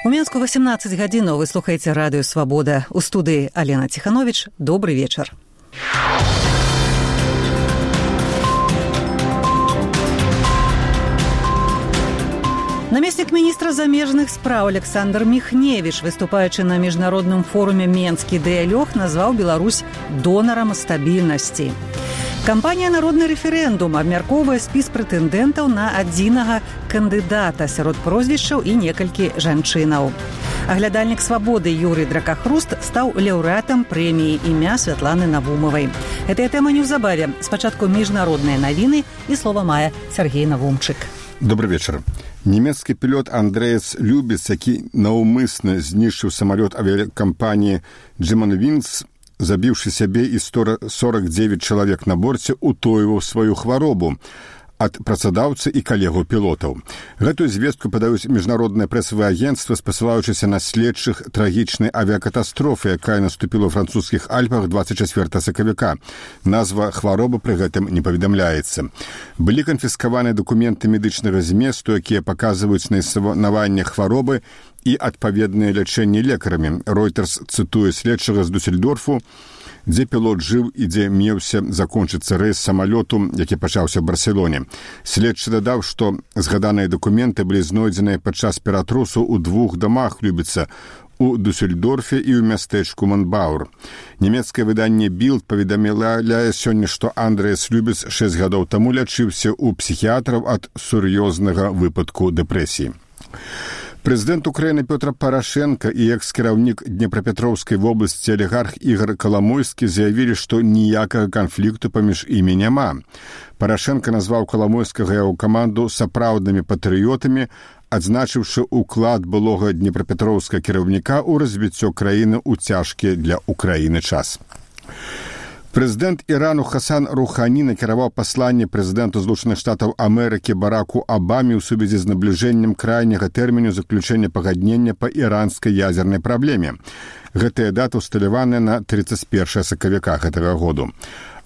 У Менску 18 гадзінаў. Вы слухаеце радыё «Свабода». У студыі Алена Ціхановіч. Добры вечар. Намеснік міністра замежных спраў Александр Міхневіч, выступаючы на міжнародным форуме «Менскі дыялог», назваў Беларусь донарам стабільнасці. Кампанія «Народны рэферэндум» абмяркоўвае спіс прэтэндэнтаў на адзінага кандыдата сярод прозвішчаў і некалькі жанчынаў. Аглядальнік «Свабоды» Юрый Дракахруст стаў лаўрэатам прэміі імя Святланы Навумавай. Гэтая тэма неўзабаве. Спачатку міжнародныя навіны і слова мае Сергей Навумчык. Добрый вечар. Нямецкі пілот Андрэас Любіц, які наўмысна знішчыў самалёт авіякампаніі «Джеманвінс», забіўшы сябе і 49 чалавек на борце, утойваў сваю хваробу ад працадаўцы і калегаў пілотаў. Гэтую звестку падаюць міжнароднае прэсавае агенцтва, спасылаючыся на следчых трагічнай авіякатастрофы, якая наступіла ў французскіх Альпах 24 сакавіка. Назва хваробы пры гэтым не паведамляецца. Былі канфіскаваны дакументы медычнага зместу, якія паказваюць на існаванне хваробы і адпаведнае лячэнне лекарамі. Reuters цытуе следчага з Дусельдорфу, дзе пілот жыў і дзе меўся закончыцца рэйс самалёту, які пачаўся ў Барселоне. Следчы дадаў, што згаданыя дакументы былі знойдзеныя падчас ператрусу ў двух дамах Любіца, у Дусельдорфе і ў мястэчку Монбаур. Нямецкае выданне «Білд» паведамляе сёння, што Андрэас Любіц 6 гадоў таму лячыўся ў псіхіятраў ад сур'ёзнага выпадку дэпрэсіі. Прэзідэнт Украіны Пётр Парашенка і экс-кіраўнік Днепрапетроўскай вобласці алігарх Ігор Каламойскі заявілі, што ніякага канфлікту паміж імі няма. Парашенка назваў Каламойскага і яго каманду сапраўднымі патрыётамі, адзначыўшы ўклад былога днепрапетроўскага кіраўніка ў развіццё краіны ў цяжкі для Украіны час. Прэзідэнт Ірану Хасан Рухані накіраваў пасланне прэзідэнту Злучаных Штатаў Амерыкі Бараку Абаме ў сувязі з набліжэннем крайняга тэрміну заключэння пагаднення па іранскай ядзернай праблеме. Гэтая дата ўсталяваная на 31 сакавіка гэтага году.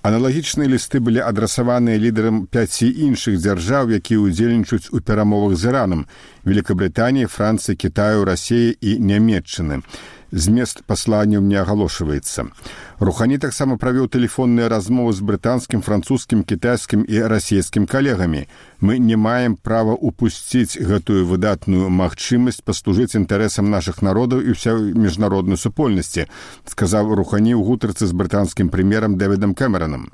Аналагічныя лісты былі адрасаваныя лідарам 5 іншых дзяржаў, якія ўдзельнічаюць у перамовах з Іранам: Великабрытаніі, Францыі, Кітаю, Расіі і Нямецчыны. Змест пасланняў не агалошваецца. Рухані таксама правёў тэлефонныя размовы з брытанскім, французскім, кітайскім і расійскім калегамі. Мы не маем права упусціць гэтую выдатную магчымасць паслужыць інтарэсам нашых народаў і ўсёй міжнароднай супольнасці, сказаў Рухані ў гутарцы з брытанскім прэм'ерам Дэвідам Кэмеранам.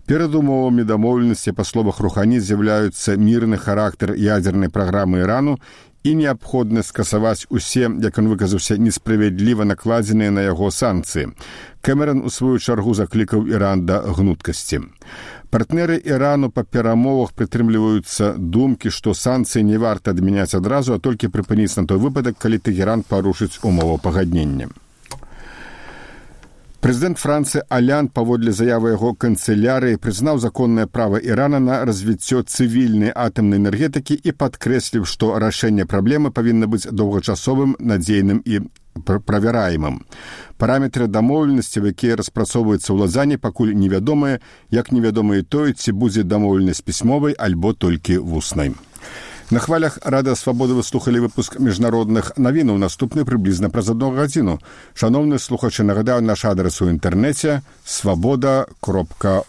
Перад умовамі дамоўленасці, па словах Рухані, з'яўляюцца мірны характар ядзернай праграмы Ірану і неабходна скасаваць усе, як ён выказаўся, несправядліва накладзеныя на яго санкцыі. Кэмеран у сваю чаргу заклікаў Іран да гнуткасці. Партнеры Ірану па перамовах прытрымліваюцца думкі, што санкцыі не варта адмяняць адразу, а толькі прыпыніць на той выпадак, калі Тэгеран парушыць умову пагаднення. Прэзідэнт Францыі Алянд, паводле заявы яго канцылярыі, прызнаў законнае права Ірана на развіццё цывільнай атамнай энергетыкі і падкрэсліў, што рашэнне праблемы павінна быць доўгачасовым, надзейным і правяраемым. Параметры дамоўленасці, якія распрацоўваюцца ў Лазані, пакуль невядомыя, як невядома і тое, ці будзе дамоўленасць пісьмовай альбо толькі вуснай. На хвалях Радыё Свабоды вы слухалі выпуск міжнародных навінаў, наступны прыблізна праз 1 гадзіну. Шановныя слухачы, нагадаю наш адрес у інтэрнэце свабода.орг.